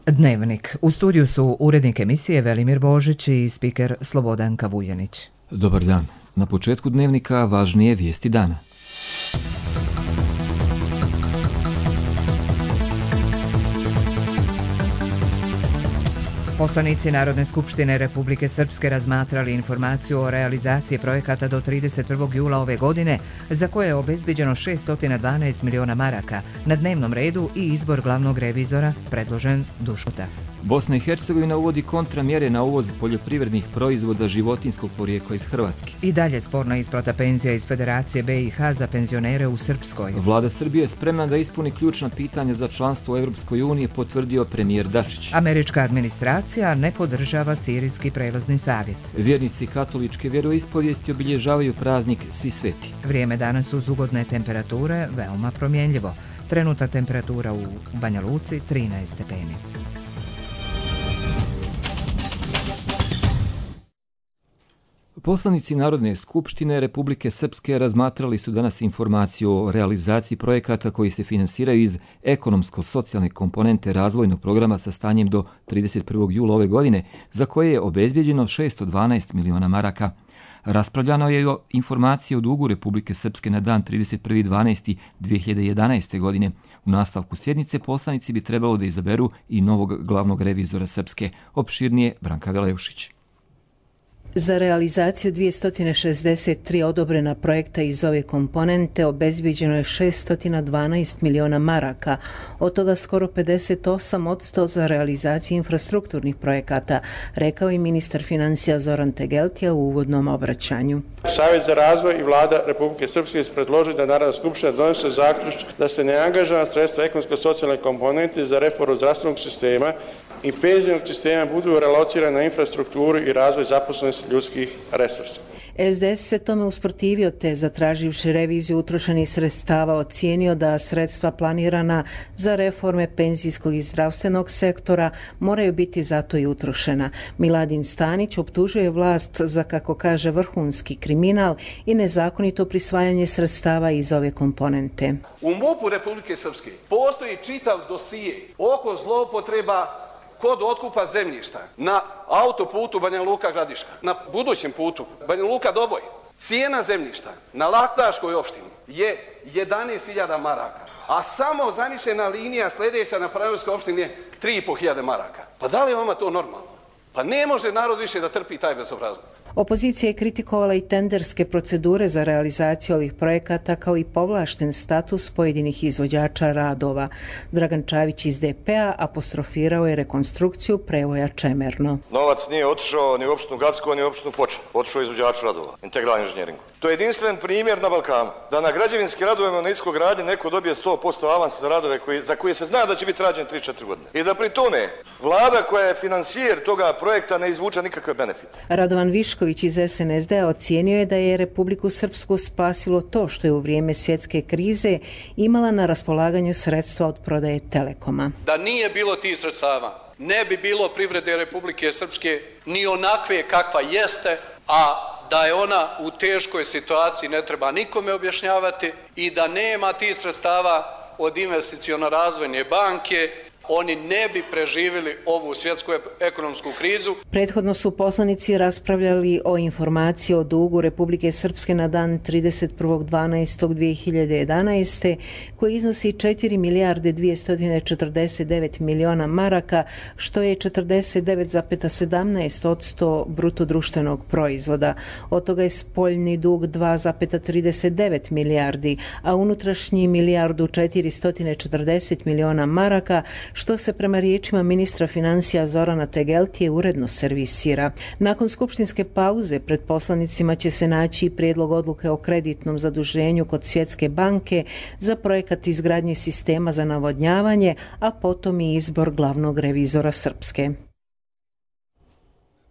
Dnevnik. U studiju su urednik emisije Velimir Božić i spiker Slobodanka Vujanić. Dobar dan. Na početku Dnevnika važnije vijesti dana. Poslanici Narodne skupštine Republike Srpske razmatrali informaciju o realizaciji projekata do 31. jula ove godine, za koje je obezbeđeno 612 miliona maraka, na dnevnom redu i izbor glavnog revizora predložen Dušota. Bosna i Hercegovina uvodi kontramjere na uvoz poljoprivrednih proizvoda životinjskog porijekla iz Hrvatske. I dalje sporna isplata penzija iz Federacije BiH za penzionere u Srpskoj. Vlada Srbije je spremna da ispuni ključna pitanja za članstvo u Europskoj uniji, potvrdio premijer Dačić. Američka administracija ne podržava Sirijski prelazni savjet. Vjernici katoličke vjeroispovijesti obilježavaju praznik Svi sveti. Vrijeme danas uz ugodne temperature veoma promjenljivo. Trenutna temperatura u Banja Luci 13 stepeni. Poslanici Narodne skupštine Republike Srpske razmatrali su danas informaciju o realizaciji projekata koji se finansiraju iz ekonomsko-socijalne komponente razvojnog programa sa stanjem do 31. jula ove godine, za koje je obezbeđeno 612 miliona maraka. Raspravljano je o informaciji o dugu Republike Srpske na dan 31.12.2011. godine. U nastavku sjednice poslanici bi trebalo da izaberu i novog glavnog revizora Srpske. Opširnije Branka Veleušić. Za realizaciju 263 odobrena projekta iz ove komponente obezbeđeno je 612 miliona maraka, od toga skoro 58% za realizaciju infrastrukturnih projekata, rekao i ministar financija Zoran Tegeltija u uvodnom obraćanju. Savjet za razvoj i vlada Republike Srpske predloži da Narodna skupština donese zaključak da se neangažovana sredstva ekonomsko-socijalne komponente za reformu zdravstvenog sistema i penzionog sistema budu relocirane na infrastrukturu i razvoj zaposlenosti ljudskih resursa. SDS se tome usprotivio te, zatraživši reviziju utrošenih sredstava, ocijenio da sredstva planirana za reforme penzijskog i zdravstvenog sektora moraju biti zato i utrošena. Miladin Stanić optužuje vlast za, kako kaže, vrhunski kriminal i nezakonito prisvajanje sredstava iz ove komponente. U MUP-u Republike Srpske postoji čitav dosije oko zloupotreba kod otkupa zemljišta na autoputu Banja Luka-Gradiška, na budućem putu Banja Luka-Doboj. Cijena zemljišta na Laktaškoj opštini je 11.000 maraka, a samo zamišljena linija sljedeća na Pravilskoj opštini je 3.500 maraka. Pa da li je vama to normalno? Pa ne može narod više da trpi taj bezobrazluk. Opozicija je kritikovala i tenderske procedure za realizaciju ovih projekata kao i povlašten status pojedinih izvođača radova. Dragan Čavić iz DP-a apostrofirao je rekonstrukciju prevoja Čemerno. Novac nije otišao ni u opštinu Gacko, ni u opštinu Foča. Otišao je izvođaču radova, integralni inženjeringu. To je jedinstven primjer na Balkanu, da na građevinskim radovima na iskogradnji neko dobije 100% avansa za radove za koje se zna da će biti rađen 3-4 godine. I da pri tome vlada koja je finansijer toga projekta ne izvuča nikakve benefite. Radovan Višković iz SNSD-a ocijenio je da je Republiku Srpsku spasilo to što je u vrijeme svjetske krize imala na raspolaganju sredstva od prodaje Telekoma. Da nije bilo tih sredstava, ne bi bilo privrede Republike Srpske ni onakve kakva jeste, a da je ona u teškoj situaciji ne treba nikome objašnjavati i da nema tih sredstava od investiciono-razvojne banke, oni ne bi preživjeli ovu svjetsku ekonomsku krizu. Prethodno su poslanici raspravljali o informaciji o dugu Republike Srpske na dan 31.12.2011. koji iznosi 4 milijarde 249 miliona maraka, što je 49,17% bruto društvenog proizvoda. Od toga je spoljni dug 2,39 milijardi, a unutrašnji milijardu 440 miliona maraka, što se prema riječima ministra financija Zorana Tegeltije uredno servisira. Nakon skupštinske pauze pred poslanicima će se naći prijedlog odluke o kreditnom zaduženju kod Svjetske banke za projekat izgradnje sistema za navodnjavanje, a potom i izbor glavnog revizora Srpske.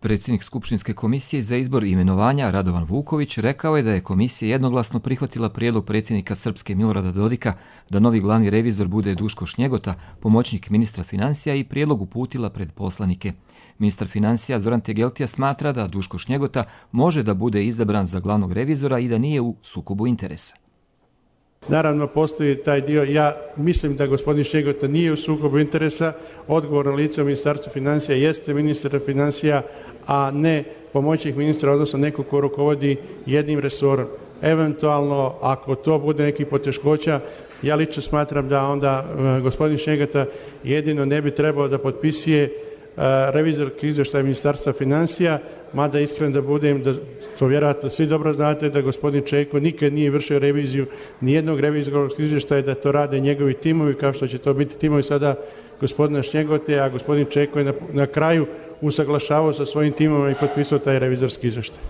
Predsjednik Skupštinske komisije za izbor i imenovanja Radovan Vuković rekao je da je komisija jednoglasno prihvatila prijedlog predsjednika Srpske Milorada Dodika da novi glavni revizor bude Duško Šnjegota, pomoćnik ministra financija, i prijedlog uputila pred poslanike. Ministar financija Zoran Tegeltija smatra da Duško Šnjegota može da bude izabran za glavnog revizora i da nije u sukobu interesa. Naravno, postoji taj dio, ja mislim da gospodin Šegota nije u sukobu interesa, odgovorno lice u Ministarstvu financija jeste ministar financija, a ne pomoćnik ministra, odnosno neko ko rukovodi jednim resorom. Eventualno, ako to bude nekih poteškoća, ja lično smatram da onda gospodin Šegota jedino ne bi trebao da potpisuje revizorski izvještaj Ministarstva financija, mada iskren da budem, da to vjerojatno svi dobro znate, da gospodin Čeko nikad nije vršio reviziju nijednog revizorskog izvještaja, da to rade njegovi timovi, kao što će to biti timovi sada gospodina Šegote, a gospodin Čeko je na kraju usaglašavao sa svojim timom i potpisao taj revizorski izvještaj.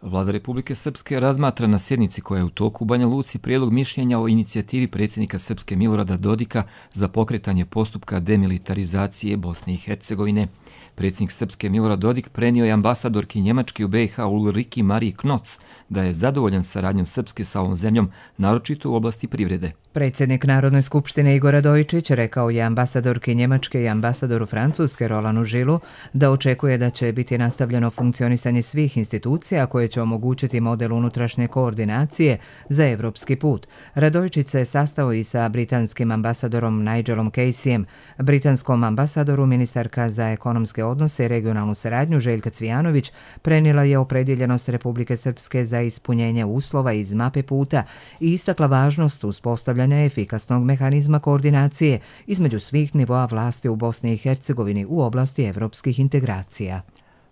Vlada Republike Srpske razmatra na sjednici koja je u toku u Banja Luci prijedlog mišljenja o inicijativi predsjednika Srpske Milorada Dodika za pokretanje postupka demilitarizacije Bosne i Hercegovine. Predsjednik Srpske Milorad Dodik prenio je ambasadorki Njemačke u BiH Ulriki Mariji Knoc da je zadovoljan saradnjom Srpske sa ovom zemljom, naročito u oblasti privrede. Predsjednik Narodne skupštine Igor Radojičić rekao je ambasadorki Njemačke i ambasadoru Francuske Rolanu Žilu da očekuje da će biti nastavljeno funkcionisanje svih institucija koje će omogućiti model unutrašnje koordinacije za evropski put. Radojičić se sastao i sa britanskim ambasadorom Nigelom Caseyem. Britanskom ambasadoru ministarka za ekonomske odnose i regionalnu saradnju Željka Cvijanović prenijela je opredjeljenost Republike Srpske za ispunjenje uslova iz mape puta i istakla važnost uspostavljanja efikasnog mehanizma koordinacije između svih nivoa vlasti u Bosni i Hercegovini u oblasti evropskih integracija.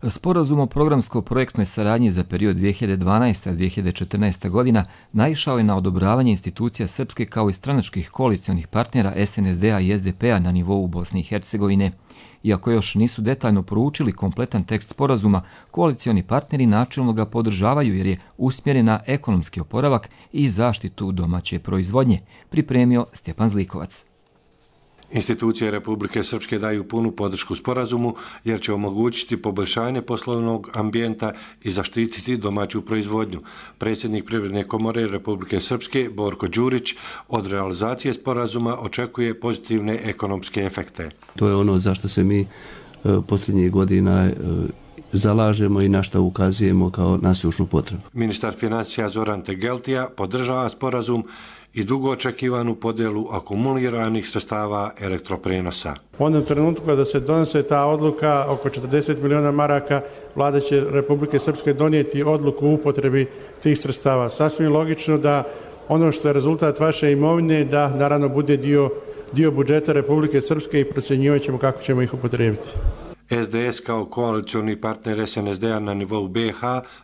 Sporazum o programsko-projektnoj saradnji za period 2012-2014 godina naišao je na odobravanje institucija Srpske kao i stranačkih koalicijonih partnera SNSD-a i SDP-a na nivou Bosne i Hercegovine. Iako još nisu detaljno proučili kompletan tekst sporazuma, koalicioni partneri načelno ga podržavaju jer je usmjeren na ekonomski oporavak i zaštitu domaće proizvodnje, pripremio Stjepan Zlikovac. Institucije Republike Srpske daju punu podršku sporazumu jer će omogućiti poboljšanje poslovnog ambijenta i zaštititi domaću proizvodnju. Predsjednik Privredne komore Republike Srpske Borko Đurić od realizacije sporazuma očekuje pozitivne ekonomske efekte. To je ono zašto se mi posljednjih godina zalažemo i na što ukazujemo kao nasušnu potrebu. Ministar financija Zoran Tegeltija podržava sporazum i dugo očekivanu podjelu akumuliranih sredstava elektroprenosa. U onom trenutku kada se donose ta odluka oko 40 miliona maraka, vlada će Republike Srpske donijeti odluku u upotrebi tih sredstava. Sasvim logično da ono što je rezultat vaše imovine da naravno bude dio budžeta Republike Srpske i procjenjivat ćemo kako ćemo ih upotrijebiti. SDS kao koalicioni partner SNSD-a na nivou BiH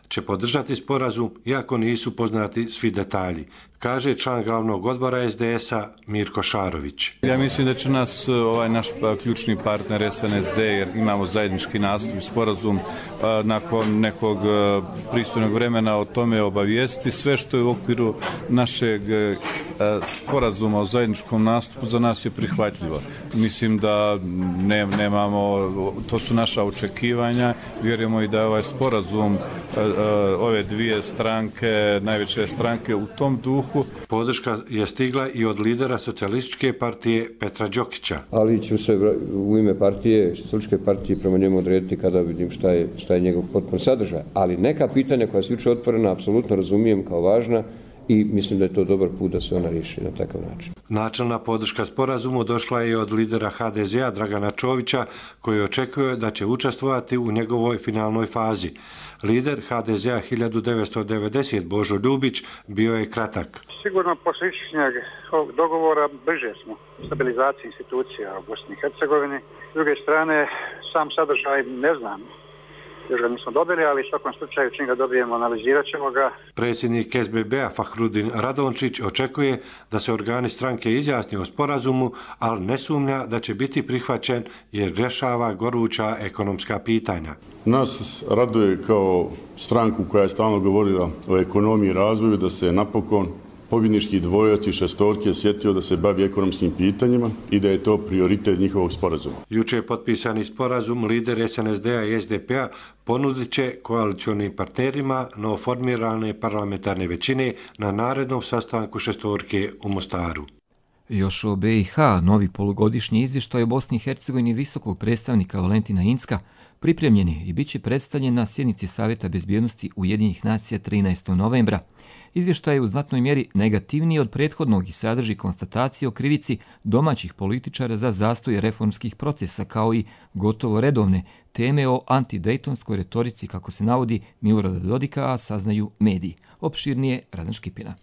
će podržati sporazum iako nisu poznati svi detalji, kaže član glavnog odbora SDS-a Mirko Šarović. Ja mislim da će nas naš ključni partner SNSD, jer imamo zajednički nastup i sporazum, nakon nekog pristojnog vremena o tome obavijesti. Sve što je u okviru našeg sporazuma o zajedničkom nastupu za nas je prihvatljivo. Mislim da nemamo, to su naša očekivanja, vjerujemo i da je ovaj sporazum ove dvije stranke, najveće stranke u tom duhu. Podrška je stigla i od lidera socijalističke partije Petra Đokića. Ali ću se u ime partije, socijalističke partije, prema njemu odrediti kada vidim šta je njegov potpun sadržaj. Ali neka pitanja koja su jučer otvorena apsolutno razumijem kao važna i mislim da je to dobar put da se ona riješi na takav način. Načelna podrška sporazumu došla je od lidera HDZ-a Dragana Čovića, koji očekuje da će učestvovati u njegovoj finalnoj fazi. Lider HDZ-a 1990 Božo Ljubić bio je kratak. Sigurno posle ičnjeg ovog dogovora bliže smo stabilizaciji institucija u Bosni i Hercegovini. S druge strane, sam sadržaj ne znam. Još ga nismo dobili, ali u svakom slučaju čim ga dobijemo analizirat ćemo ga. Predsjednik SBB-a Fahrudin Radončić očekuje da se organi stranke izjasni o sporazumu, ali ne sumnja da će biti prihvaćen jer rješava goruća ekonomska pitanja. Nas raduje kao stranku koja je stalno govorila o ekonomiji i razvoju da se napokon pobjednički dvojac i šestorke sjetio da se bavi ekonomskim pitanjima i da je to prioritet njihovog sporazuma. Juče je potpisani sporazum lider SNSD-a i SDP-a ponudit će koalicionim partnerima novoformirane parlamentarne većine na narednom sastanku šestorke u Mostaru. Još o BiH, novi polugodišnji izvještaj o Bosni i Hercegovini visokog predstavnika Valentina Incka pripremljen je i bit će predstavljen na sjednici Savjeta bezbjednosti Ujedinjenih nacija 13. novembra. Izvještaj je u znatnoj mjeri negativniji od prethodnog i sadrži konstatacije o krivici domaćih političara za zastoj reformskih procesa, kao i gotovo redovne teme o antidejtonskoj retorici, kako se navodi Milorada Dodika, a saznaju mediji. Opširnije Radan Škipina.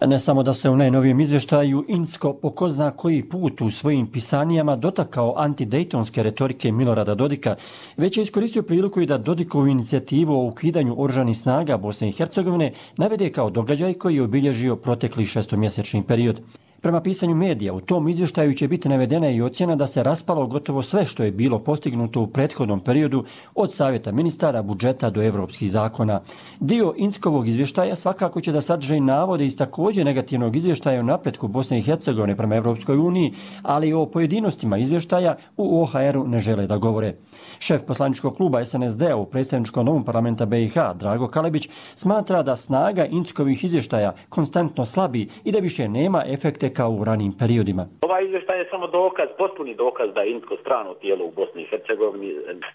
Ne samo da se u najnovijem izvještaju Incko po ko zna koji put u svojim pisanijama dotakao antidejtonske retorike Milorada Dodika, već je iskoristio priliku i da Dodikovu inicijativu o ukidanju oružanih snaga Bosne i Hercegovine navede kao događaj koji je obilježio protekli šestomjesečni period. Prema pisanju medija, u tom izvještaju će biti navedena i ocjena da se raspalo gotovo sve što je bilo postignuto u prethodnom periodu, od savjeta ministara, budžeta do evropskih zakona. Dio Inckovog izvještaja svakako će da sadrže navode iz također negativnog izvještaja o napretku Bosne i Hercegovine prema Evropskoj uniji, ali o pojedinostima izvještaja u OHR-u ne žele da govore. Šef poslaničkog kluba SNSD-a u predstavničkom domu parlamenta BiH, Drago Kalebić, smatra da snaga Inckovih izvještaja konstantno slabi i da više nema efekte kao u ranijim periodima. Ovaj izvještaj je samo dokaz, potpuni dokaz da je Incko strano tijelo u Bosni i Hercegovini,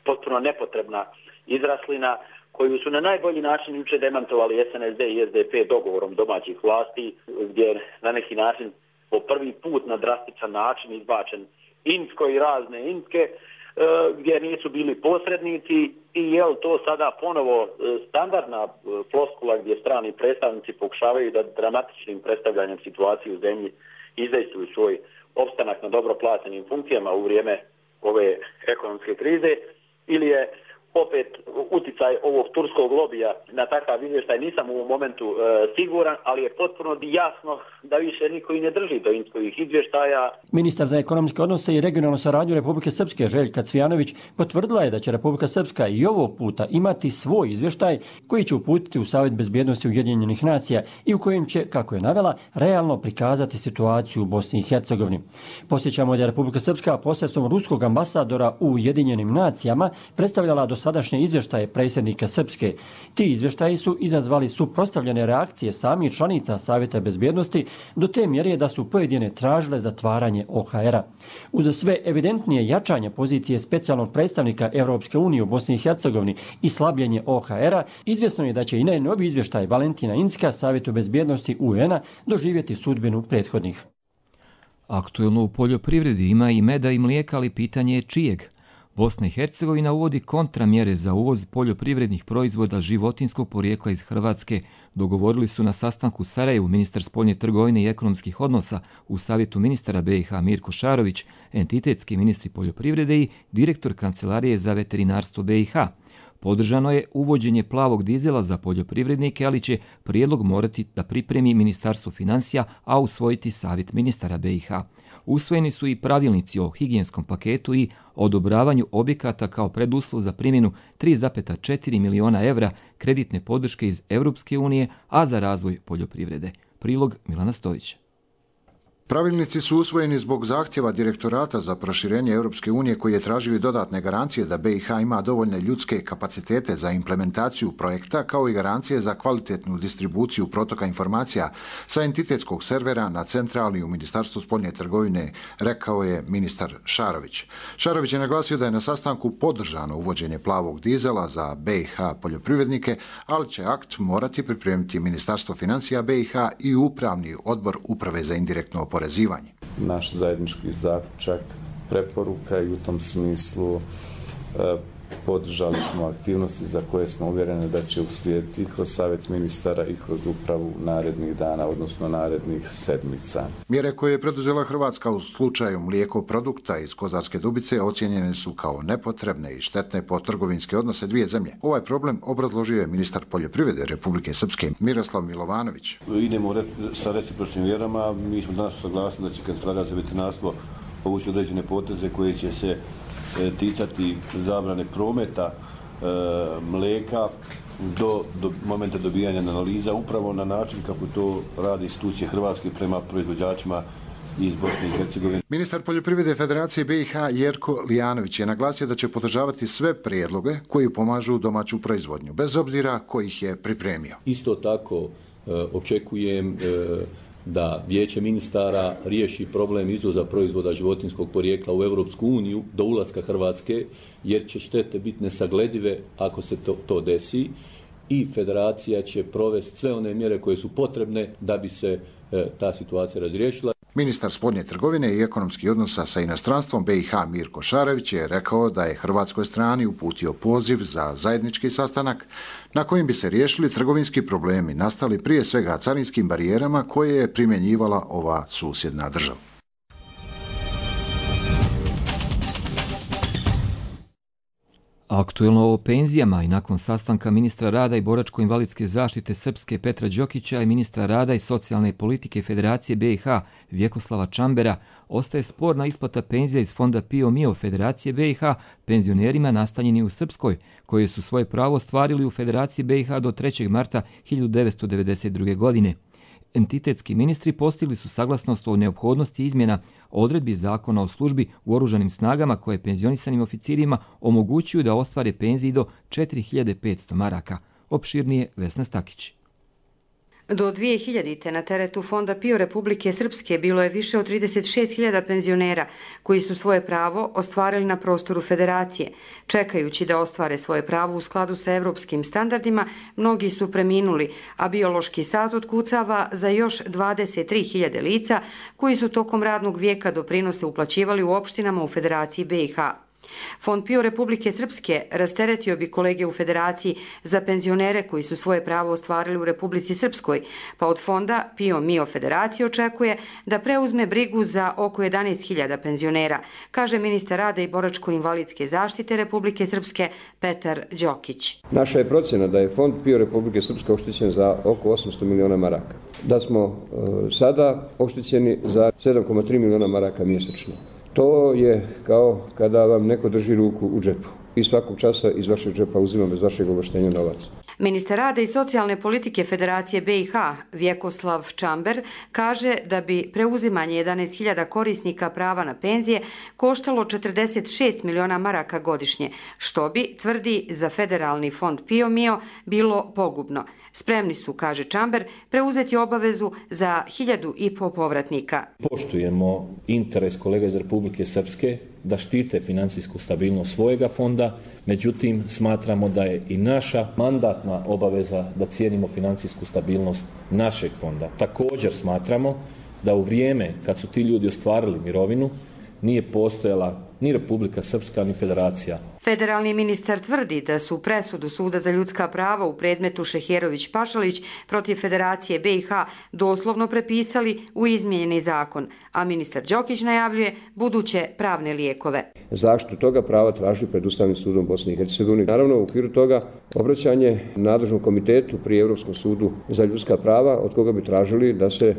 potpuno nepotrebna izraslina koju su na najbolji način juče demantovali SNSD i SDP dogovorom domaćih vlasti, gdje je na neki način po prvi put na drastičan način izbačen Incko i razne Incke, gdje nisu bili posrednici i je li to sada ponovo standardna floskula gdje strani predstavnici pokušavaju da dramatičnim predstavljanjem situacije u zemlji izdejstvuju svoj opstanak na dobro plaćenim funkcijama u vrijeme ove ekonomske krize, ili je opet uticaj ovog turskog lobija na takav izvještaj. Nisam u ovom momentu siguran, ali je potpuno jasno da više niko i ne drži do Inckovih izvještaja. Ministar za ekonomske odnose i regionalnu saradnju Republike Srpske Željka Cvijanović potvrdila je da će Republika Srpska i ovog puta imati svoj izvještaj koji će uputiti u Savjet bezbjednosti Ujedinjenih nacija i u kojem će, kako je navela, realno prikazati situaciju u Bosni i Hercegovini. Posjećamo da je Republika Srpska posredstvom ruskog ambasadora u Ujedinjenim nacijama predstavljala do sadašnje izvještaje predsjednika Srpske. Ti izvještaji su izazvali suprotstavljene reakcije samih članica Savjeta bezbjednosti do te mjere da su pojedine tražile zatvaranje OHR-a. Uz sve evidentnije jačanje pozicije specijalnog predstavnika Europske unije u Bosni i Hercegovini i slabljenje OHR-a, izvjesno je da će i najnoviji izvještaj Valentina Incka Savjetu bezbjednosti UN-a doživjeti sudbinu prethodnih. Aktuelno u poljoprivredi ima i meda i mlijeka, ali pitanje je čijeg. Bosna i Hercegovina uvodi kontramjere za uvoz poljoprivrednih proizvoda životinjskog porijekla iz Hrvatske. Dogovorili su na sastanku u Sarajevu ministar spoljne trgovine i ekonomskih odnosa u Savjetu ministara BiH Mirko Šarović, entitetski ministri poljoprivrede i direktor Kancelarije za veterinarstvo BiH. Podržano je uvođenje plavog dizela za poljoprivrednike, ali će prijedlog morati da pripremi Ministarstvo financija, a usvojiti Savjet ministara BiH. Usvojeni su i pravilnici o higijenskom paketu i odobravanju objekata kao preduslov za primjenu 3,4 miliona evra kreditne podrške iz Europske unije, a za razvoj poljoprivrede. Prilog Milana Stojića. Pravilnici su usvojeni zbog zahtjeva Direktorata za proširenje Europske unije koji je tražio i dodatne garancije da BiH ima dovoljne ljudske kapacitete za implementaciju projekta kao i garancije za kvalitetnu distribuciju protoka informacija sa entitetskog servera na centrali u Ministarstvu spoljne trgovine, rekao je ministar Šarović. Šarović je naglasio da je na sastanku podržano uvođenje plavog dizela za BiH poljoprivrednike, ali će akt morati pripremiti Ministarstvo financija BiH i Upravni odbor Uprave za indirektno oporezivanje. Naš zajednički zaključak, preporuka i u tom smislu podržali smo aktivnosti za koje smo uvjereni da će uslijediti kroz Savjet ministara i kroz upravu narednih dana, odnosno narednih sedmica. Mjere koje je preduzela Hrvatska u slučaju mlijeko produkta iz Kozarske Dubice ocijenjene su kao nepotrebne i štetne po trgovinske odnose dvije zemlje. Ovaj problem obrazložio je ministar poljoprivrede Republike Srpske Miroslav Milovanović. Idemo sa recipročnim mjerama. Mi smo danas saglasili da će Kancelarija za veterinarstvo povući određene poteze koje će se ticati zabrane prometa mlijeka do momenta dobijanja analiza, upravo na način kako to radi institucije Hrvatske prema proizvođačima iz Bosne i Hercegovine. Ministar poljoprivrede Federacije BiH Jerko Lijanović je naglasio da će podržavati sve prijedloge koji pomažu domaću proizvodnju, bez obzira ko ih je pripremio. Isto tako očekujem da Vijeće ministara riješi problem izvoza proizvoda životinjskog porijekla u Europsku uniju do ulaska Hrvatske, jer će štete biti nesagledive ako se to desi, i federacija će provesti sve one mjere koje su potrebne da bi se ta situacija razriješila. Ministar spoljne trgovine i ekonomskih odnosa sa inostranstvom BiH Mirko Šarević je rekao da je hrvatskoj strani uputio poziv za zajednički sastanak na kojim bi se riješili trgovinski problemi nastali prije svega carinskim barijerama koje je primjenjivala ova susjedna država. Aktuelno o penzijama i nakon sastanka ministra rada i boračko-invalidske zaštite Srpske Petra Đokića i ministra rada i socijalne politike Federacije BiH Vjekoslava Čambera ostaje sporna isplata penzija iz fonda PIO MIO Federacije BiH penzionerima nastanjeni u Srpskoj, koji su svoje pravo ostvarili u Federaciji BiH do 3. marta 1992. godine. Entitetski ministri postigli su saglasnost o neophodnosti izmjena odredbi Zakona o službi u oružanim snagama koje penzionisanim oficirima omogućuju da ostvare penziji do 4500 maraka. Opširnije Vesna Stakić. Do 2000. na teretu Fonda PIO Republike Srpske bilo je više od 36.000 penzionera koji su svoje pravo ostvarili na prostoru Federacije. Čekajući da ostvare svoje pravo u skladu sa evropskim standardima, mnogi su preminuli, a biološki sat otkucava za još 23.000 lica koji su tokom radnog vijeka doprinose uplaćivali u opštinama u Federaciji BiH. Fond PIO Republike Srpske rasteretio bi kolege u Federaciji za penzionere koji su svoje pravo ostvarili u Republici Srpskoj, pa od fonda PIO MIO Federacije očekuje da preuzme brigu za oko 11.000 penzionera, kaže ministar rada i boračko-invalidske zaštite Republike Srpske Petar Đokić. Naša je procjena da je Fond PIO Republike Srpske oštećen za oko 800 miliona maraka. Da smo sada oštećeni za 7,3 miliona maraka mjesečno. To je kao kada vam neko drži ruku u džepu i svakog časa iz vašeg džepa uzima bez vašeg ovlaštenja novac. Ministar rada i socijalne politike Federacije BiH Vjekoslav Čamber kaže da bi preuzimanje 11.000 korisnika prava na penzije koštalo 46 miliona maraka godišnje, što bi, tvrdi za federalni fond PIO MIO, bilo pogubno. Spremni su, kaže Čamber, preuzeti obavezu za 1.500 povratnika. Poštujemo interes kolega iz Republike Srpske da štite financijsku stabilnost svojega fonda, međutim smatramo da je i naša mandatna obaveza da cijenimo financijsku stabilnost našeg fonda. Također smatramo da u vrijeme kad su ti ljudi ostvarili mirovinu nije postojala ni Republika Srpska ni Federacija. Federalni ministar tvrdi da su presudu Suda za ljudska prava u predmetu Šeherović-Pašalić protiv Federacije BiH doslovno prepisali u izmijenjeni zakon, a ministar Đokić najavljuje buduće pravne lijekove. Zaštitu toga prava traži pred Ustavnim sudom Bosne i Hercegovine. Naravno, u okviru toga obraćanje nadležnom komitetu pri Europskom sudu za ljudska prava, od koga bi tražili da se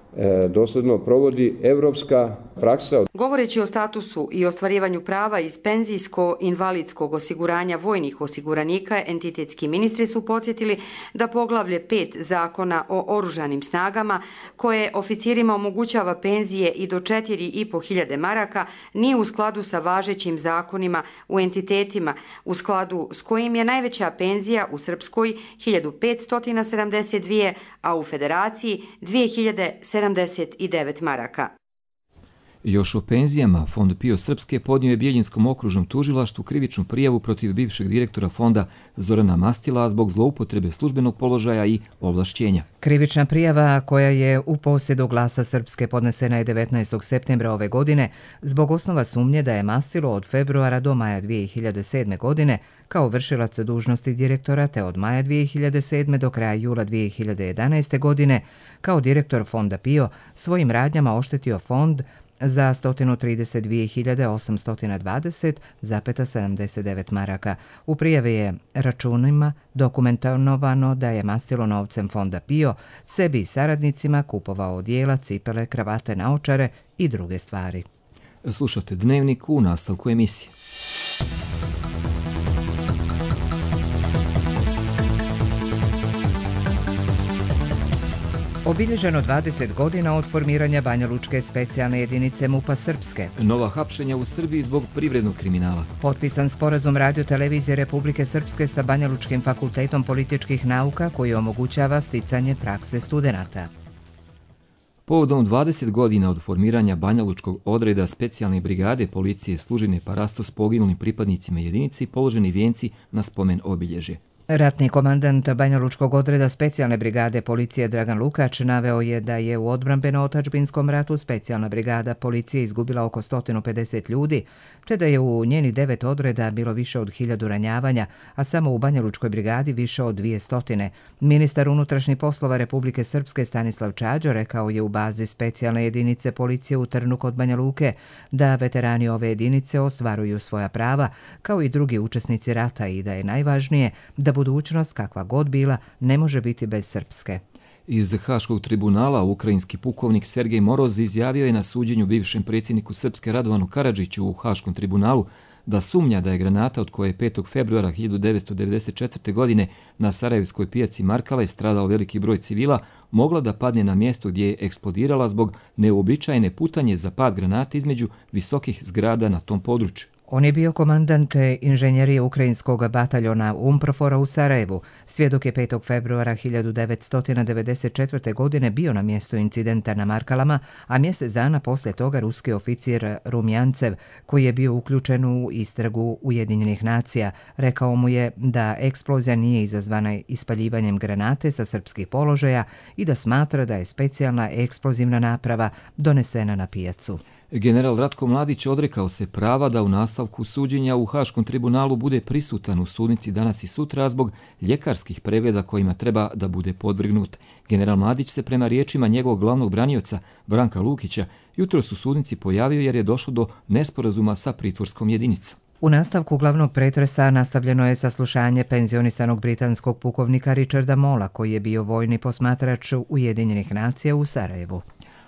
dosljedno provodi evropska praksa. Govoreći o statusu i ostvarivanju prava iz penzijsko-invalidskog osiguranja vojnih osiguranika, entitetski ministri su podsjetili da poglavlje 5 Zakona o oružanim snagama, koje oficirima omogućava penzije i do 4.500 maraka, nije u skladu sa važećim zakonima u entitetima, u skladu s kojim je najveća penzija u Srpskoj 1.572, a u Federaciji 2.079 maraka. Još o penzijama, Fond PIO Srpske podnio je Bjeljinskom okružnom tužilaštvu krivičnu prijavu protiv bivšeg direktora fonda Zorana Mastila zbog zloupotrebe službenog položaja i ovlašćenja. Krivična prijava koja je u posjedu Glasa Srpske podnesena je 19. septembra ove godine zbog osnova sumnje da je Mastilo od februara do maja 2007. godine kao vršilac dužnosti direktora te od maja 2007. do kraja jula 2011. godine kao direktor fonda PIO svojim radnjama oštetio fond za 132.820,79 maraka. U prijavi je računima dokumentovano da je Mastilo novcem fonda PIO sebi i saradnicima kupovao odijela, cipele, kravate, naočare i druge stvari. Slušate Dnevnik u nastavku emisije. Obilježeno 20 godina od formiranja Banjalučke specijalne jedinice MUP-a Srpske. Nova hapšenja u Srbiji zbog privrednog kriminala. Potpisan sporazum Radio-televizije Republike Srpske sa Banjalučkim fakultetom političkih nauka koji omogućava sticanje prakse studenata. Povodom 20 godina od formiranja Banjalučkog odreda specijalne brigade policije služine parastos poginulim pripadnicima jedinice i položeni vijenci na spomen obilježje. Ratni komandant Banjalučkog odreda specijalne brigade policije Dragan Lukač naveo je da je u odbrambeno-otadžbinskom ratu specijalna brigada policije izgubila oko 150 ljudi, te da je u njeni 9 odreda bilo više od 1000 ranjavanja, a samo u Banjalučkoj brigadi više od 200. Ministar unutrašnjih poslova Republike Srpske Stanislav Čađo rekao je u bazi specijalne jedinice policije u Trnu kod Banja Luke da veterani ove jedinice ostvaruju svoja prava, kao i drugi učesnici rata, i da je najvažnije da budućnost, kakva god bila, ne može biti bez Srpske. Iz Haškog tribunala ukrajinski pukovnik Sergej Moroz izjavio je na suđenju bivšem predsjedniku Srpske Radovanu Karadžiću u Haškom tribunalu da sumnja da je granata od koje je 5. februara 1994. godine na Sarajevskoj pijaci Markale stradao veliki broj civila mogla da padne na mjesto gdje je eksplodirala zbog neuobičajene putanje za pad granate između visokih zgrada na tom području. On je bio komandant inženjerije ukrajinskog bataljona UNPROFOR-a u Sarajevu. Svjedok je 5. februara 1994. godine bio na mjestu incidenta na Markalama, a mjesec dana poslije toga ruski oficir Rumjancev, koji je bio uključen u istragu Ujedinjenih nacija, rekao mu je da eksplozija nije izazvana ispaljivanjem granate sa srpskih položaja i da smatra da je specijalna eksplozivna naprava donesena na pijacu. General Ratko Mladić odrekao se prava da u nastavku suđenja u Haškom tribunalu bude prisutan u sudnici danas i sutra zbog ljekarskih pregleda kojima treba da bude podvrgnut. General Mladić se prema riječima njegovog glavnog branioca Branka Lukića jutros u sudnici pojavio jer je došlo do nesporazuma sa pritvorskom jedinicom. U nastavku glavnog pretresa nastavljeno je saslušanje penzionisanog britanskog pukovnika Richarda Mola, koji je bio vojni posmatrač Ujedinjenih nacija u Sarajevu.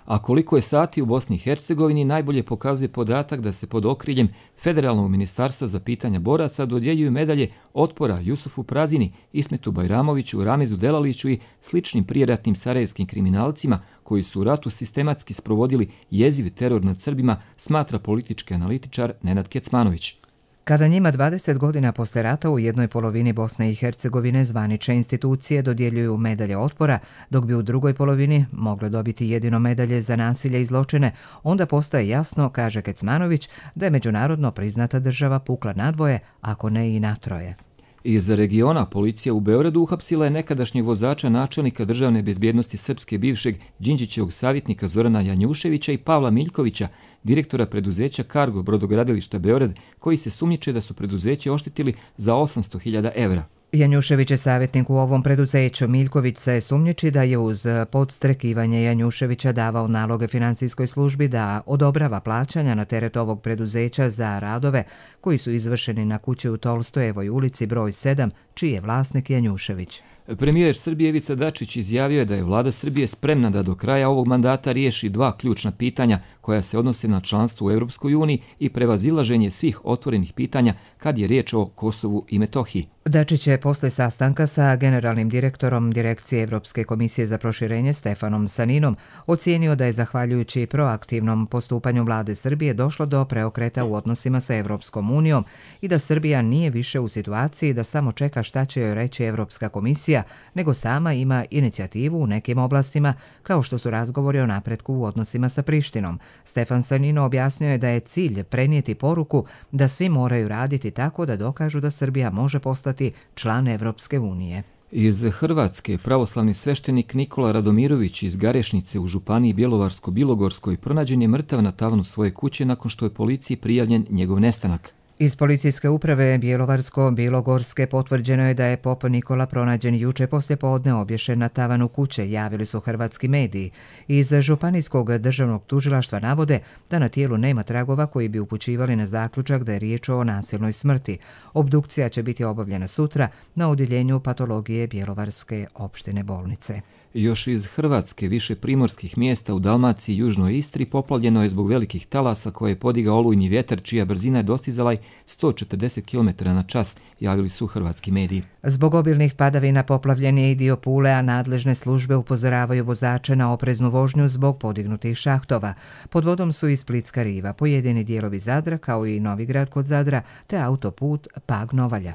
A koliko je sati u Bosni i Hercegovini najbolje pokazuje podatak da se pod okriljem Federalnog ministarstva za pitanja boraca dodjeljuju medalje otpora Jusufu Prazini, Ismetu Bajramoviću, Ramezu Delaliću i sličnim prijeratnim sarajevskim kriminalcima koji su u ratu sistematski sprovodili jeziv teror nad Srbima, smatra politički analitičar Nenad Kecmanović. Kada njima 20 godina posle rata u jednoj polovini Bosne i Hercegovine zvanične institucije dodjeljuju medalje otpora, dok bi u drugoj polovini mogle dobiti jedino medalje za nasilje i zločine, onda postaje jasno, kaže Kecmanović, da je međunarodno priznata država pukla nadvoje, ako ne i natroje. Iz regiona policija u Beogradu uhapsila je nekadašnjeg vozača načelnika državne bezbjednosti Srpske bivšeg Đinđićevog savjetnika Zorana Janjuševića i Pavla Miljkovića, direktora preduzeća Cargo brodogradilišta Beograd, koji se sumnjiče da su preduzeće oštetili za 800.000 evra. Janjušević je savjetnik u ovom preduzeću. Miljković se sumnjiči da je uz podstrekivanje Janjuševića davao naloge finansijskoj službi da odobrava plaćanja na teret ovog preduzeća za radove koji su izvršeni na kući u Tolstojevoj ulici broj 7, čiji je vlasnik Janjušević. Premijer Srbije Ivica Dačić izjavio je da je vlada Srbije spremna da do kraja ovog mandata riješi dva ključna pitanja koja se odnose na članstvo u Europskoj uniji i prevazilaženje svih otvorenih pitanja kad je riječ o Kosovu i Metohiji. Dačić je posle sastanka sa generalnim direktorom Direkcije Evropske komisije za proširenje Stefanom Saninom ocijenio da je zahvaljujući proaktivnom postupanju vlade Srbije došlo do preokreta u odnosima sa Evropskom unijom i da Srbija nije više u situaciji da samo čeka šta će joj reći Evropska komisija, nego sama ima inicijativu u nekim oblastima, kao što su razgovori o napretku u odnosima sa Prištinom. Stefan Sanino objasnio je da je cilj prenijeti poruku da svi moraju raditi tako da dokažu da Srbija može postati član Evropske unije. Iz Hrvatske pravoslavni sveštenik Nikola Radomirović iz Garešnice u županiji Bjelovarsko-Bilogorskoj pronađen je mrtav na tavanu svoje kuće nakon što je policiji prijavljen njegov nestanak. Iz policijske uprave Bjelovarsko-Bilogorske potvrđeno je da je pop Nikola pronađen juče poslijepodne obješen na tavanu kuće, javili su hrvatski mediji. Iz Županijskog državnog tužilaštva navode da na tijelu nema tragova koji bi upućivali na zaključak da je riječ o nasilnoj smrti. Obdukcija će biti obavljena sutra na odjeljenju patologije Bjelovarske opštine bolnice. Još iz Hrvatske više primorskih mjesta u Dalmaciji i Južnoj Istri poplavljeno je zbog velikih talasa koje je podigao olujni vjetar čija brzina je dostizala 140 km na čas, javili su hrvatski mediji. Zbog obilnih padavina poplavljen je i dio Pule, a nadležne službe upozoravaju vozače na opreznu vožnju zbog podignutih šahtova. Pod vodom su i Splitska riva, pojedini dijelovi Zadra kao i Novigrad kod Zadra te autoput Pag-Novalja.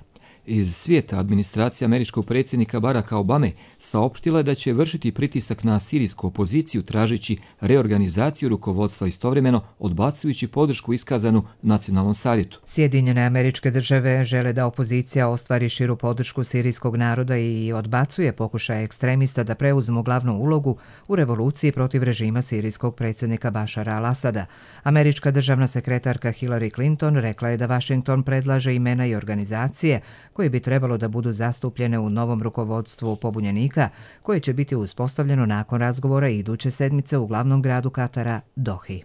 Iz svijeta administracija američkog predsjednika Baracka Obame saopštila je da će vršiti pritisak na sirijsku opoziciju tražeći reorganizaciju rukovodstva istovremeno odbacujući podršku iskazanu Nacionalnom savjetu. Sjedinjene Američke Države žele da opozicija ostvari širu podršku sirijskog naroda i odbacuje pokušaje ekstremista da preuzmu glavnu ulogu u revoluciji protiv režima sirijskog predsjednika Bašara al-Asada. Američka državna sekretarka Hillary Clinton rekla je da Washington predlaže imena i organizacije koje bi trebalo da budu zastupljene u novom rukovodstvu pobunjenika, koje će biti uspostavljeno nakon razgovora iduće sedmice u glavnom gradu Katara, Dohi.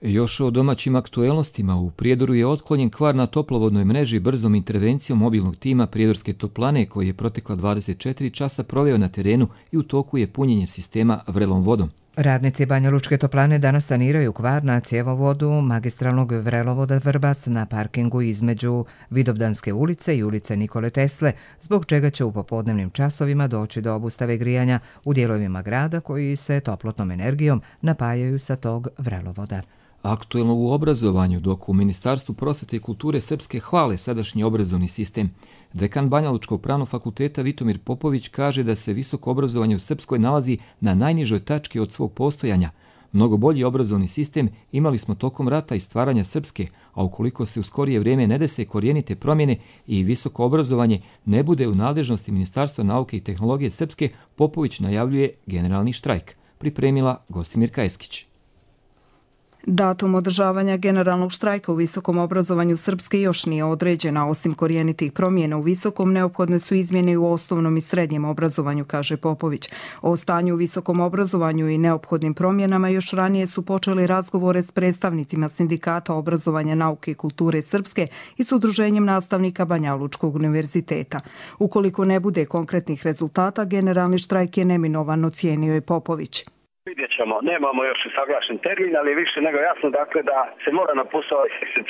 Još o domaćim aktuelnostima, u Prijedoru je otklonjen kvar na toplovodnoj mreži brzom intervencijom mobilnog tima Prijedorske toplane koji je protekla 24 časa proveo na terenu i u toku je punjenje sistema vrelom vodom. Radnici Banjalučke toplane danas saniraju kvar na cjevovodu magistralnog vrelovoda Vrbas na parkingu između Vidovdanske ulice i ulice Nikole Tesle, zbog čega će u popodnevnim časovima doći do obustave grijanja u dijelovima grada koji se toplotnom energijom napajaju sa tog vrelovoda. Aktuelno u obrazovanju, dok u Ministarstvu prosvete i kulture Srpske hvale sadašnji obrazovni sistem. Dekan Banjalučkog pravnog fakulteta Vitomir Popović kaže da se visoko obrazovanje u Srpskoj nalazi na najnižoj tački od svog postojanja. Mnogo bolji obrazovni sistem imali smo tokom rata i stvaranja Srpske, a ukoliko se u skorije vrijeme ne dese korijenite promjene i visoko obrazovanje ne bude u nadležnosti Ministarstva nauke i tehnologije Srpske, Popović najavljuje generalni štrajk. Pripremila Gostimirka Eskić. Datum održavanja generalnog štrajka u visokom obrazovanju Srpske još nije određena. Osim korijenitih promjena u visokom, neophodne su izmjene u osnovnom i srednjem obrazovanju, kaže Popović. O stanju u visokom obrazovanju i neophodnim promjenama još ranije su počeli razgovore s predstavnicima Sindikata obrazovanja, nauke i kulture Srpske i s Udruženjem nastavnika Banjalučkog univerziteta. Ukoliko ne bude konkretnih rezultata, generalni štrajk je neminovan, ocijenio je Popović. Vidjet ćemo, nemamo još saglašen termin, ali je više nego jasno dakle da se mora na posao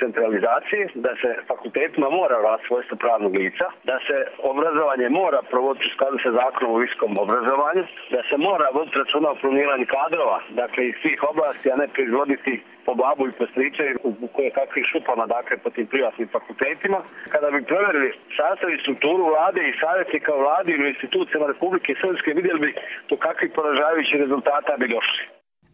centralizacije, da se fakultetima mora vratiti svojstvo pravnog lica, da se obrazovanje mora provoditi u skladu sa zakonom o visokom obrazovanju, da se mora voditi računa o planiranju kadrova, dakle iz svih oblasti, a ne proizvoditi po babu i po stričevi u koje kakvih šupama, dakle po tim privatnim fakultetima. Kada bi provjerili sastav i strukturu vlade i savjetnika u vladi ili institucijama Republike Srpske, vidjeli bi do kakvih poražavajućih rezultata bi došli.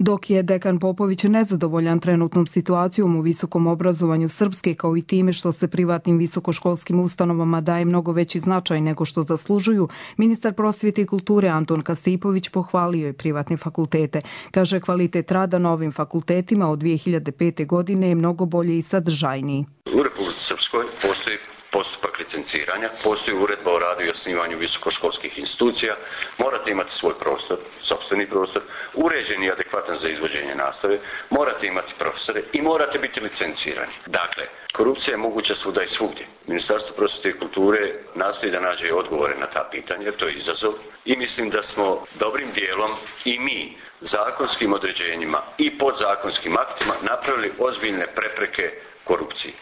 Dok je dekan Popović nezadovoljan trenutnom situacijom u visokom obrazovanju Srpske kao i time što se privatnim visokoškolskim ustanovama daje mnogo veći značaj nego što zaslužuju, ministar prosvjete i kulture Anton Kasipović pohvalio je privatne fakultete. Kaže, kvalitet rada na ovim fakultetima od 2005. godine je mnogo bolje i sadržajniji. U Republici Srpskoj postoji postupak licenciranja, postoji uredba o radu i osnivanju visokoškolskih institucija, morate imati svoj prostor, sopstveni prostor, uređen i adekvatan za izvođenje nastave, morate imati profesore i morate biti licencirani. Dakle, korupcija je moguća svuda i svugdje. Ministarstvo prosvjete i kulture nastoji da nađe odgovore na ta pitanja, jer to je izazov i mislim da smo dobrim dijelom i mi zakonskim određenjima i podzakonskim aktima napravili ozbiljne prepreke korupciji.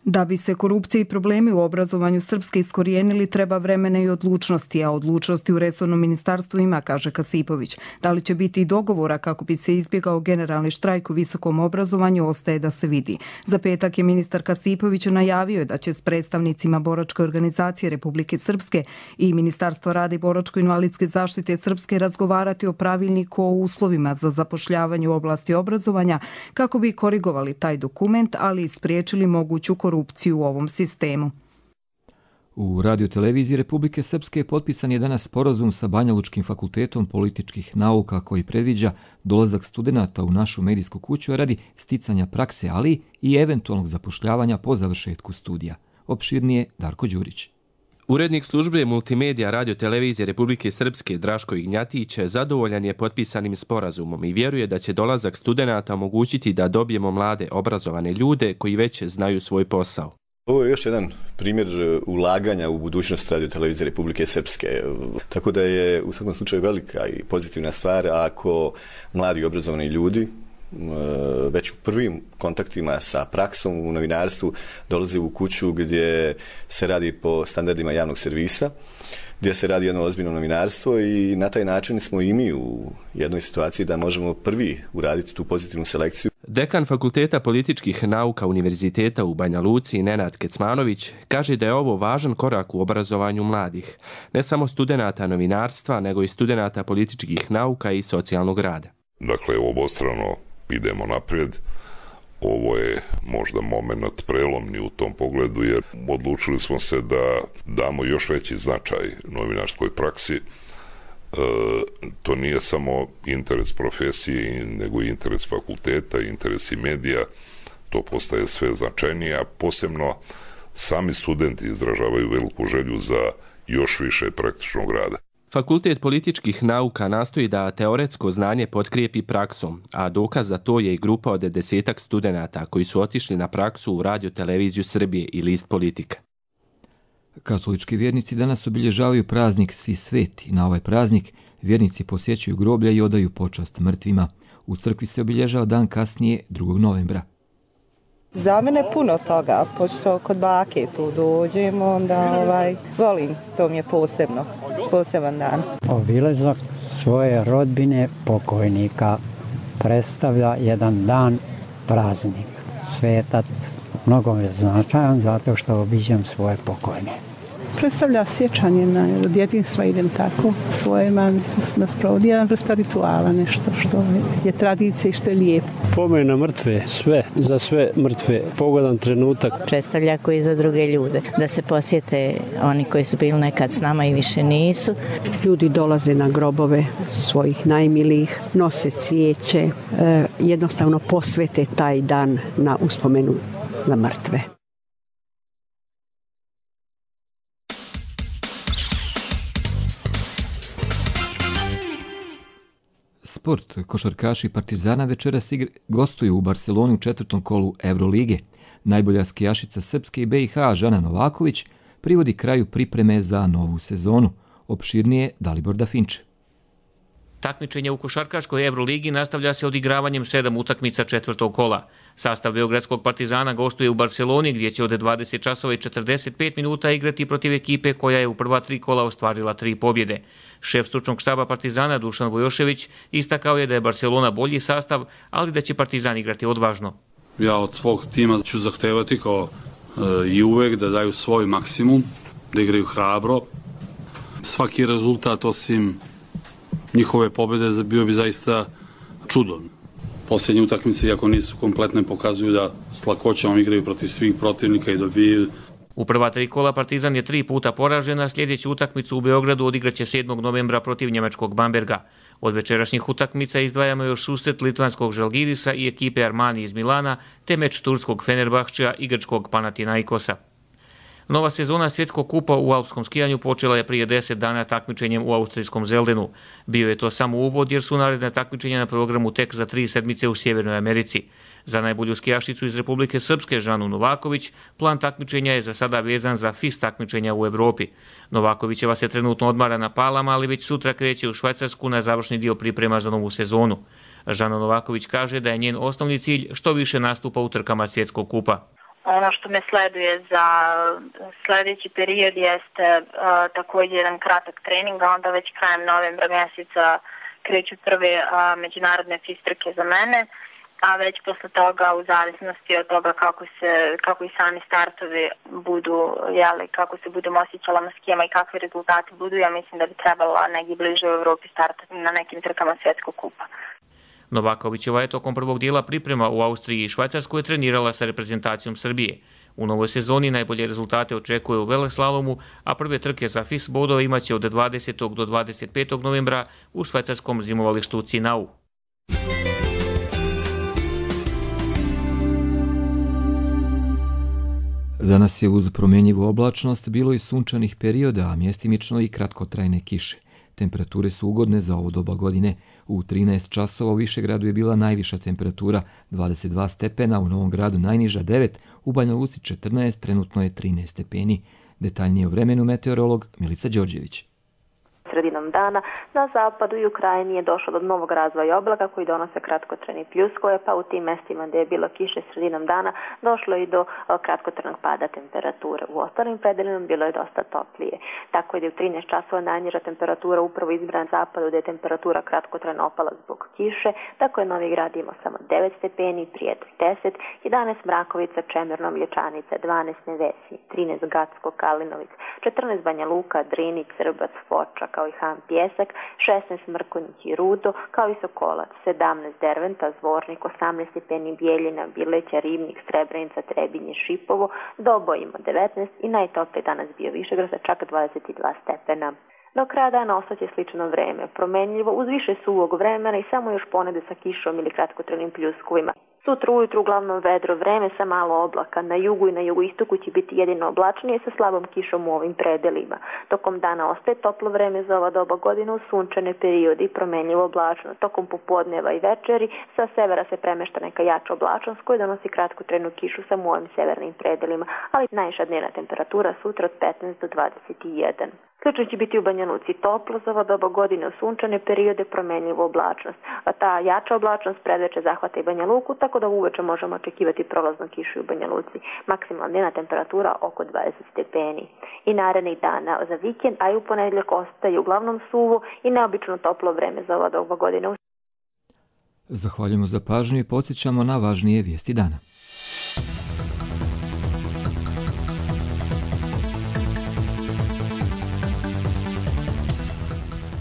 Da bi se korupcija i problemi u obrazovanju Srpske iskorijenili, treba vremena i odlučnosti, a odlučnosti u resornom ministarstvu ima, kaže Kasipović. Da li će biti i dogovora kako bi se izbjegao generalni štrajk u visokom obrazovanju, ostaje da se vidi. Za petak je ministar Kasipović najavio da će s predstavnicima Boračke organizacije Republike Srpske i Ministarstva rada i boračko-invalidske zaštite Srpske razgovarati o pravilniku o uslovima za zapošljavanje u oblasti obrazovanja kako bi korigovali taj dokument, ali i spriječili moguću korupciju u ovom sistemu. U radioteleviziji Republike Srpske potpisan je danas sporazum sa Banjalučkim fakultetom političkih nauka koji predviđa dolazak studenata u našu medijsku kuću radi sticanja prakse, ali i eventualnog zapošljavanja po završetku studija. Opširnije Darko Đurić. Urednik službe multimedija radiotelevizije Republike Srpske Draško Ignjatić zadovoljan je potpisanim sporazumom i vjeruje da će dolazak studenata omogućiti da dobijemo mlade obrazovane ljude koji već znaju svoj posao. Ovo je još jedan primjer ulaganja u budućnost radiotelevizije Republike Srpske. Tako da je u svakom slučaju velika i pozitivna stvar ako mladi obrazovani ljudi već u prvim kontaktima sa praksom u novinarstvu dolaze u kuću gdje se radi po standardima javnog servisa, gdje se radi jedno ozbiljno novinarstvo i na taj način smo i mi u jednoj situaciji da možemo prvi uraditi tu pozitivnu selekciju. Dekan Fakulteta političkih nauka Univerziteta u Banja Luci, Nenad Kecmanović, kaže da je ovo važan korak u obrazovanju mladih, ne samo studenata novinarstva, nego i studenata političkih nauka i socijalnog rada. Dakle, obostrano idemo naprijed. Ovo je možda moment prelomni u tom pogledu, jer odlučili smo se da damo još veći značaj novinarskoj praksi. To nije samo interes profesije, nego i interes fakulteta, interes i medija. To postaje sve značajnije, a posebno sami studenti izražavaju veliku želju za još više praktičnog rada. Fakultet političkih nauka nastoji da teoretsko znanje potkrijepi praksom, a dokaz za to je i grupa od 10 studenata koji su otišli na praksu u Radio Televiziju Srbije i List Politika. Katolički vjernici danas obilježavaju praznik Svi sveti. Na ovaj praznik vjernici posjećuju groblja i odaju počast mrtvima. U crkvi se obilježava dan kasnije, 2. novembra. Za mene puno toga, pošto kod bake tu dođemo, onda volim, to mi je poseban dan. Obilazak svoje rodbine pokojnika predstavlja jedan dan praznik. Svetac mnogo je značajan zato što obiđem svoje pokojne. Predstavlja sjećanje na djetinjstva, idem tako svoje mami, to se nas provodi jedan vrsta rituala, nešto što je tradicija i što je lijepo. Pomen na mrtve, sve, za sve mrtve, pogodan trenutak. Predstavlja koji za druge ljude, da se posjete oni koji su bili nekad s nama i više nisu. Ljudi dolaze na grobove svojih najmilijih, nose cvijeće, jednostavno posvete taj dan na uspomenu na mrtve. Sport. Košarkaši Partizana večeras gostuju u Barceloni u 4. kolu Eurolige. Najbolja skijašica Srpske i BiH Žana Novaković privodi kraju pripreme za novu sezonu. Opširnije Dalibor Dafinče. Takmičenje u košarkaškoj Euroligi nastavlja se odigravanjem 7 utakmica 4. kola. Sastav beogradskog Partizana gostuje u Barceloni gdje će od 20 časova i 45 minuta igrati protiv ekipe koja je u prva 3 kola ostvarila 3 pobjede. Šef stručnog štaba Partizana Dušan Vojošević istakao je da je Barcelona bolji sastav, ali da će Partizan igrati odvažno. Ja od svog tima ću zahtevati kao i uvek da daju svoj maksimum, da igraju hrabro. Svaki rezultat osim njihove pobjede bio bi zaista čudom. Posljednje utakmice, iako nisu kompletne, pokazuju da s lakoćom igraju protiv svih protivnika i dobiju. U prva 3 kola Partizan je 3 puta poražen, a sljedeću utakmicu u Beogradu odigraće 7. novembra protiv njemačkog Bamberga. Od večerašnjih utakmica izdvajamo još susret litvanskog Žalgirisa i ekipe Armani iz Milana, te meč turskog Fenerbahčeja i grčkog Panathinaikosa. Nova sezona svjetskog kupa u alpskom skijanju počela je prije 10 dana takmičenjem u austrijskom Zeldenu. Bio je to samo uvod jer su naredne takmičenja na programu tek za 3 sedmice u Sjevernoj Americi. Za najbolju skijašicu iz Republike Srpske Žanu Novaković plan takmičenja je za sada vezan za FIS takmičenja u Evropi. Novakovićeva se trenutno odmara na Palama, ali već sutra kreće u Švajcarsku na završni dio priprema za novu sezonu. Žana Novaković kaže da je njen osnovni cilj što više nastupa u trkama svjetskog kupa. Ono što me sleduje za sljedeći period jeste također jedan kratak trening, a onda već krajem novembra mjeseca kreću prve međunarodne FIS trke za mene, a već posle toga u zavisnosti od toga kako i sami startovi budu, kako se budemo osjećala na skijama i kakvi rezultati budu, ja mislim da bi trebala negdje bliže u Evropi startati na nekim trkama svjetskog kupa. Novakovićeva je tokom prvog dijela priprema u Austriji i Švajcarskoj trenirala sa reprezentacijom Srbije. U novoj sezoni najbolje rezultate očekuje u veleslalomu, a prve trke za FIS bodove imaće od 20. do 25. novembra u švajcarskom zimovalištu Cinau. Danas je uz promjenjivu oblačnost bilo i sunčanih perioda, a mjestimično i kratkotrajne kiše. Temperature su ugodne za ovo doba godine. U 13 časova u Višegradu je bila najviša temperatura 22 stepena, u Novom Gradu najniža 9, u Banja Luci 14, trenutno je 13 stepeni. Detaljnije o vremenu meteorolog Milica Đorđević. sredinom dana. Na zapadu i u Krajini je došlo do novog razvoja oblaka koji donose kratkotrajne pljuskove, pa u tim mestima gdje je bilo kiše sredinom dana došlo i do kratkotrajnog pada temperature. U ostalim predelima bilo je dosta toplije. Tako je da u 13 časova najniža temperatura upravo izbrana na zapadu gdje je temperatura kratkotrajno opala zbog kiše. Tako je Novi Grad imao samo 9 stepeni, Prijedor 10, 11 Mrakovica, Čemerno, Mlječanica, 12 Nevesinje, 13 Gacko, Kalinovic, 14 Banja Luka, Drini, Crbac, Foča, kao i Han Pjesak, 16 Mrkonjić i Rudo, kao i Sokolac, 17 Derventa, Zvornik, 18 stepeni Bijeljina, Bileća, Ribnik, Srebrenica, Trebinje, Šipovo, Dobo ima 19 i najtopliji danas bio Višegrad sa čak 22 stepena. Do kraja dana ostaće slično vreme, promenljivo uz više suvog vremena i samo još ponede sa kišom ili kratkotrajnim pljuskovima. Sutra ujutru uglavnom vedro vreme sa malo oblaka. Na jugu i na jugoistoku će biti jedino oblačnije sa slabom kišom u ovim predelima. Tokom dana ostaje toplo vreme za ova doba godine u sunčane periode i promenljivo oblačno. Tokom popodneva i večeri sa severa se premešta neka jača oblačnost koja donosi kratkotrajnu kišu samo u ovim severnim predelima, ali najviša dnevna temperatura sutra od 15 do 21. Slično će biti u Banja Luci toplo za ova doba godine u sunčane periode, promenljivu oblačnost. A ta jača oblačnost predveče zahvata i Banja Luku, tako da uveče možemo očekivati prolaznu kišu u Banja Luci. Maksimalna dnevna temperatura oko 20 stepeni. I narednih dana za vikend, a i u ponedjeljak ostaje uglavnom suvo i neobično toplo vreme za ova doba godine. Zahvaljujemo za pažnju i podsjećamo na važnije vijesti dana.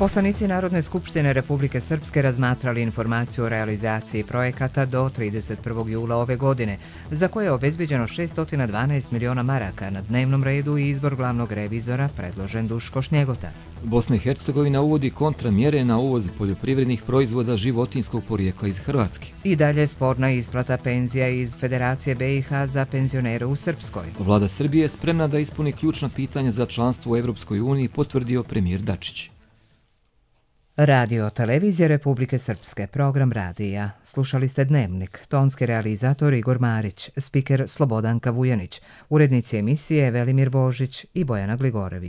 Poslanici Narodne skupštine Republike Srpske razmatrali informaciju o realizaciji projekata do 31. jula ove godine, za koje je obezbeđeno 612 miliona maraka. Na dnevnom redu i izbor glavnog revizora predložen Duško Šnjegota. Bosna i Hercegovina uvodi kontramjere na uvoz poljoprivrednih proizvoda životinjskog porijekla iz Hrvatske. I dalje sporna isplata penzija iz Federacije BiH za penzionere u Srpskoj. Vlada Srbije je spremna da ispuni ključna pitanja za članstvo u Evropskoj uniji, potvrdio premijer Dačić. Radio Televizija Republike Srpske, program radija. Slušali ste Dnevnik, tonski realizator Igor Marić, spiker Slobodanka Vujanić, urednici emisije Velimir Božić i Bojana Gligorević.